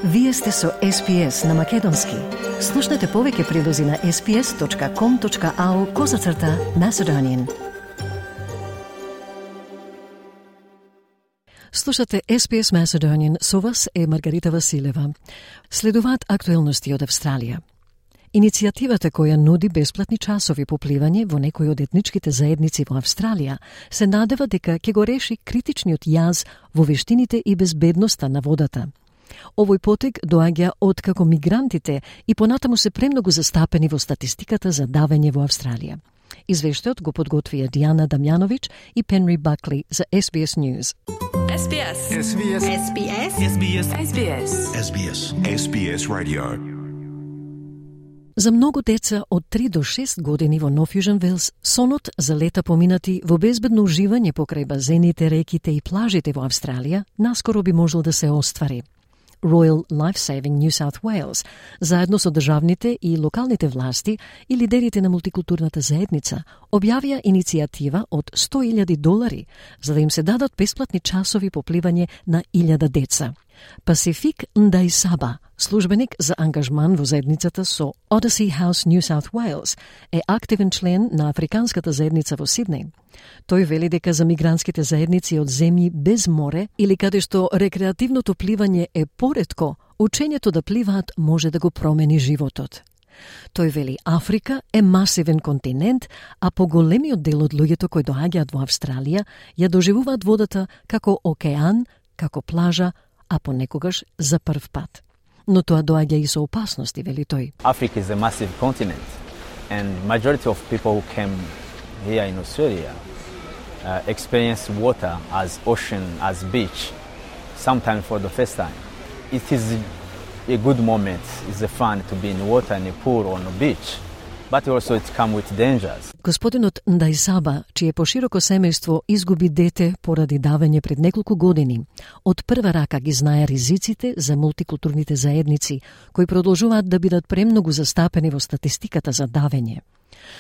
Вие сте со SPS на Македонски. Слушнете повеќе прилози на sps.com.au/Macedonian. Слушате SPS Macedonian, со вас е Маргарита Василева. Следуваат актуелности од Австралија. Иницијативата која нуди бесплатни часови по пливање во некои од етничките заедници во Австралија се надева дека ќе го реши критичниот јаз во вештините и безбедноста на водата. Овој потег доаѓа од како мигрантите и понатаму се премногу застапени во статистиката за давење во Австралија. Извештајот го подготвија Дијана Дамјановиќ и Пенри Бакли за SBS News. SBS. SBS. SBS. SBS. SBS. SBS. SBS Radio. За многу деца од 3 до 6 години во Нов Јужен Велс, сонот за лета поминати во безбедно уживање покрај базените, реките и плажите во Австралија наскоро би можел да се оствари. Royal Lifesaving New South Wales, заедно со државните и локалните власти и лидерите на мултикултурната заедница, објавија иницијатива од $100,000 за да им се дадат бесплатни часови по пливање на 1000 деца. Пасифик Ндајсаба, службеник за ангажман во заедницата со Odyssey House New South Wales, е активен член на африканската заедница во Сиднеј. Тој вели дека за мигрантските заедници од земји без море или каде што рекреативното пливање е поретко, учењето да пливаат може да го промени животот. Тој вели Африка е масивен континент, а поголемиот дел од луѓето кои доаѓаат во Австралија ја доживуваат водата како океан, како плажа, а понекогаш за прв пат. Но тоа доаѓа и со опасности, вели тој. Africa is a massive continent, and majority of people who came here in Australia experience water as ocean, as beach, sometimes for the first time. It is a good moment, it's a fun to be in water, in a pool, on a beach, but also it comes with dangers. Господинот Ндајсаба, чие пошироко семејство изгуби дете поради давење пред неколку години, од прва рака ги знае ризиците за мултикултурните заедници, кои продолжуваат да бидат премногу застапени во статистиката за давење.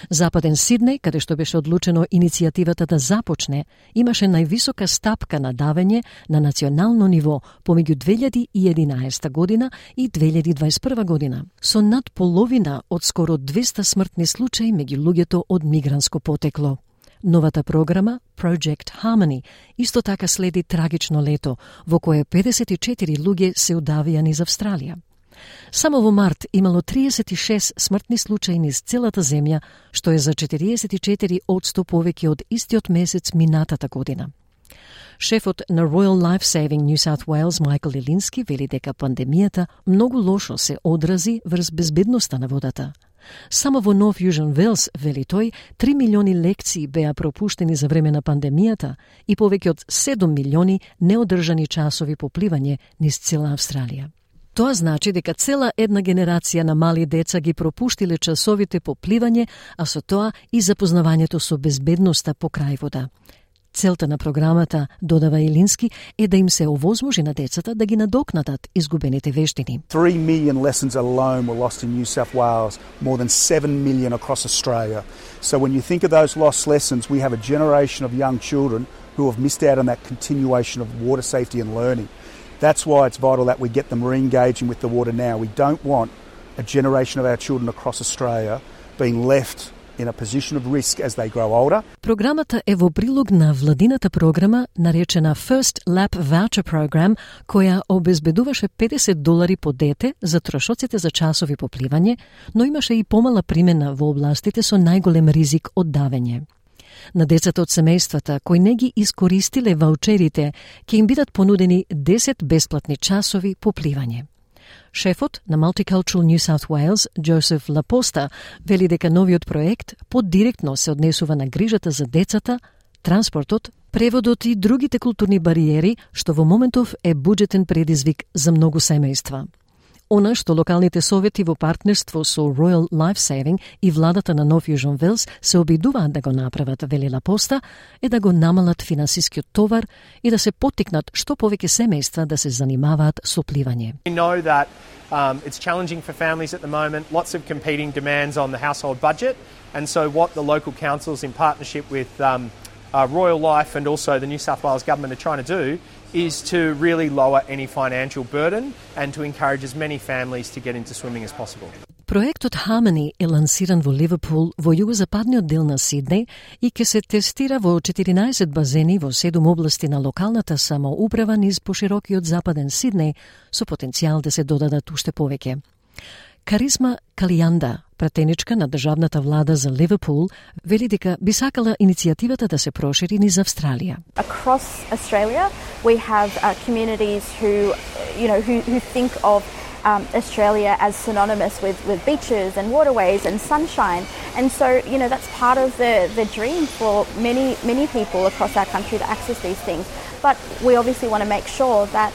Западен Сиднеј, каде што беше одлучено иницијативата да започне, имаше највисока стапка на давење на национално ниво помеѓу 2011 година и 2021 година, со над половина од скоро 200 смртни случаи меѓу луѓето од мигрантско потекло. Новата програма, Project Harmony, исто така следи трагично лето, во кое 54 луѓе се удавија низ Австралија. Само во март имало 36 смртни случаи низ целата земја, што е за 44% повеќе од истиот месец минатата година. Шефот на Royal Lifesaving New South Wales, Майкл Илински, вели дека пандемијата многу лошо се одрази врз безбедноста на водата. Само во Нов Јужен Велс, вели тој, 3 милиони лекции беа пропуштени за време на пандемијата и повеќе од 7 милиони неодржани часови по пливање низ цела Австралија. Тоа значи дека цела една генерација на мали деца ги пропуштиле часовите по пливање, а со тоа и запознавањето со безбедноста по крај вода. Целта на програмата, додава Илински, е да им се овозможи на децата да ги надокнатат изгубените вештини. 3 million lessons alone were lost in New South Wales, more than 7 million across Australia. So when you think of those lost lessons, we have a generation of young children who have missed out on that continuation of water safety and learning. That's why it's vital that we get them re-engaging with the water now. We don't want a generation of our children across Australia being left in a position of risk as they grow older. Програмата е во прилог на владината програма наречена First Lap Voucher Program, која обезбедуваше $50 по дете за трошоците за часови по пливање, но имаше и помала примена во областите со најголем ризик од давење. На децата од семејствата кои не ги искористиле ваучерите, ќе им бидат понудени 10 бесплатни часови по пливање. Шефот на Multicultural New South Wales, Джозеф Лапоста, вели дека новиот проект поддиректно се однесува на грижата за децата, транспортот, преводот и другите културни бариери, што во моментов е буџетен предизвик за многу семејства. Она што локалните совети во партнерство со Royal Lifesaving и владата на Нов Јужен Велс се обидуваат да го направат, вели Лапоста, е да го намалат финансискиот товар и да се поттикнат што повеќе семејства да се занимаваат со пливање. We know that it's challenging for families at the moment, lots of competing demands on the household budget, and so what the local councils in partnership with Royal Life and also the New South Wales government are trying to do is to really lower any financial burden and to encourage as many families to get into swimming as possible. Проектот Harmony е лансиран во Ливерпул, во југозападниот дел на Сиднеј и ќе се тестира во 14 базени во 7 области на локалната самоуправа низ поширокиот западен Сиднеј, со потенцијал да се додадат уште повеќе. Каризма Калијанда, пратеничка на државната влада за Ливерпул, вели дека би сакала иницијативата да се прошири низ Австралија. Across Australia, we have communities who think of Australia as synonymous with beaches and waterways and sunshine. And so, that's part of the dream for many people across our country to access these things. But we obviously want to make sure that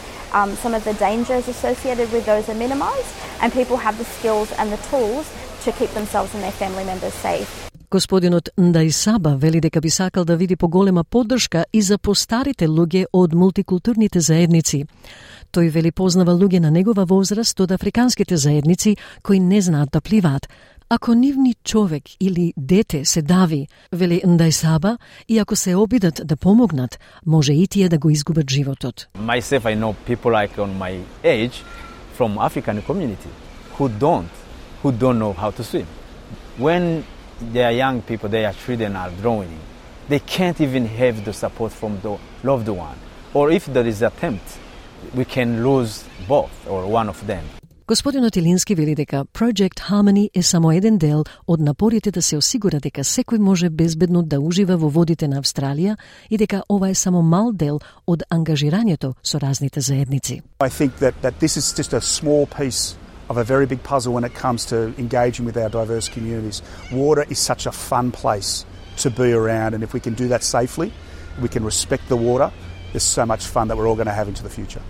some of the dangers associated with those are minimised and people have the skills and the tools to keep themselves and their family members safe. Господинот Ндајсаба вели дека би сакал да види поголема поддршка и за постарите луѓе од мултикултурните заедници. Тој вели познава луѓе на негова возраст од африканските заедници кои не знаат да пливаат. Ако нивни човек или дете се дави, вели Ндајсаба, и ако се обидат да помогнат, може и тие да го изгубат животот. Myself, I know people like on my age from African community who don't know how to swim. When they are young people, their children are drowning. They can't even have the support from the loved one. Or if there is attempt, we can lose both or one of them. Господинот Илински вели дека Project Harmony е само еден дел од напорите да се осигура дека секој може безбедно да ужива во водите на Австралија и дека ова е само мал дел од ангажирањето со разните заедници. I think that this is just a small piece of a very big puzzle when it comes to engaging with our diverse communities. Water is such a fun place to be around, and if we can do that safely, we can respect the water, there's so much fun that we're all going to have into the future.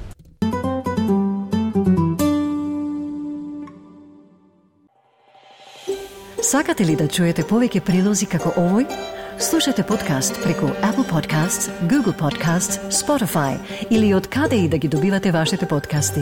Сакате ли да чуете повеќе прилози како овој? Слушате подкаст преку Apple Podcasts, Google Podcasts, Spotify или од каде и да ги добивате вашите подкасти.